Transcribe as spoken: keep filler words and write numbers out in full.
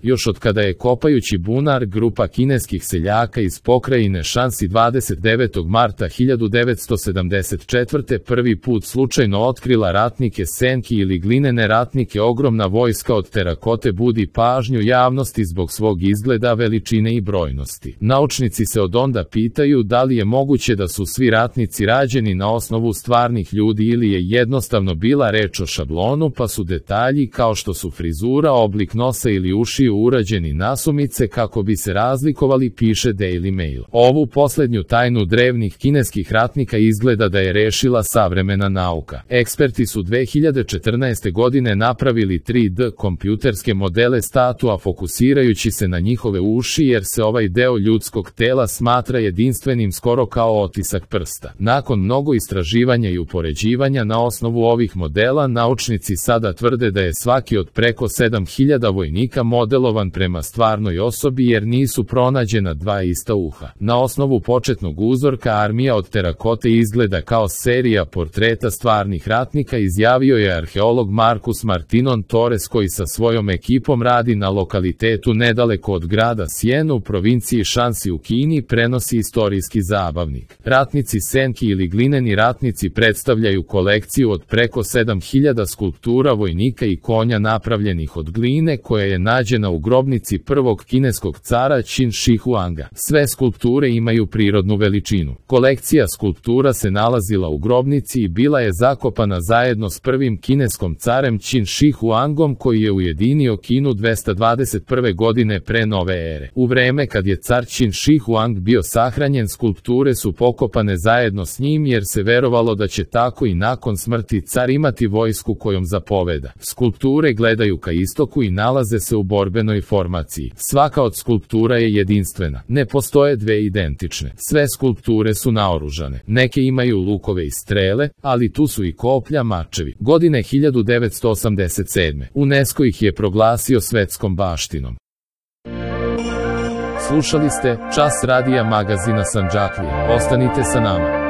Još od kada je kopajući bunar grupa kineskih seljaka iz pokrajine Šansi dvadeset devetog marta hiljadu devetsto sedamdeset četvrte prvi put slučajno otkrila ratnike senki ili glinene ratnike, ogromna vojska od terakote budi pažnju javnosti zbog svog izgleda, veličine i brojnosti. Naučnici se od onda pitaju da li je moguće da su svi ratnici rađeni na osnovu stvarnih ljudi ili je jednostavno bila reč o šablonu, pa su detalji kao što su frizura, oblik nosa ili ušiju urađeni nasumice kako bi se razlikovali, piše Daily Mail. Ovu poslednju tajnu drevnih kineskih ratnika izgleda da je rešila savremena nauka. Eksperti su dve hiljade četrnaeste godine napravili tri D kompjuterske modele statua fokusirajući se na njihove uši, jer se ovaj deo ljudskog tela smatra jedinstvenim skoro kao otisak prsta. Nakon mnogo istraživanja i upoređivanja na osnovu ovih modela, naučnici sada tvrde da je svaki od preko sedam hiljada vojnika modelovan prema stvarnoj osobi, jer nisu pronađena dva ista uha. Na osnovu početnog uzorka armija od terakote izgleda kao serija portreta stvarnih ratnika, izjavio je arheolog Marcus Martinon Torres, koji sa svojom ekipom radi na lokalitetu nedaleko od grada Siena u provinciji Šansi u Kini, prenosi istorijski zabavnik. Ratnici senki ili glineni ratnici predstavljaju kolekciju od preko sedam hiljada skulptura vojnika i konja napravljenih od gline, koja je nađena u grobnici prvog kineskog cara Qin Shi Huanga. Sve skulpture imaju prirodnu veličinu. Kolekcija skulptura se nalazila u grobnici i bila je zakopana zajedno s prvim kineskom carem Qin Shi Huangom, koji je ujedinio Kinu dvesta dvadeset prve godine pre nove ere. U vreme kad je car Qin Shi Huang bio sahranjen, skulpture su pokopane zajedno s njim, jer se verovalo da će tako i nakon smrti car imati vojsku kojom zapoveda. Skulpture gledaju ka istoku i nalaze se u borbenoj formaciji. Svaka od skulptura je jedinstvena. Ne postoje dve identične. Sve skulpture su naoružane. Neke imaju lukove i strele, ali tu su i koplja, mačevi. Godine hiljadu devetsto osamdeset sedme. UNESCO ih je proglasio svetskom baštinom. Slušali ste Čas radija magazina Sandžaklija. Ostanite sa nama.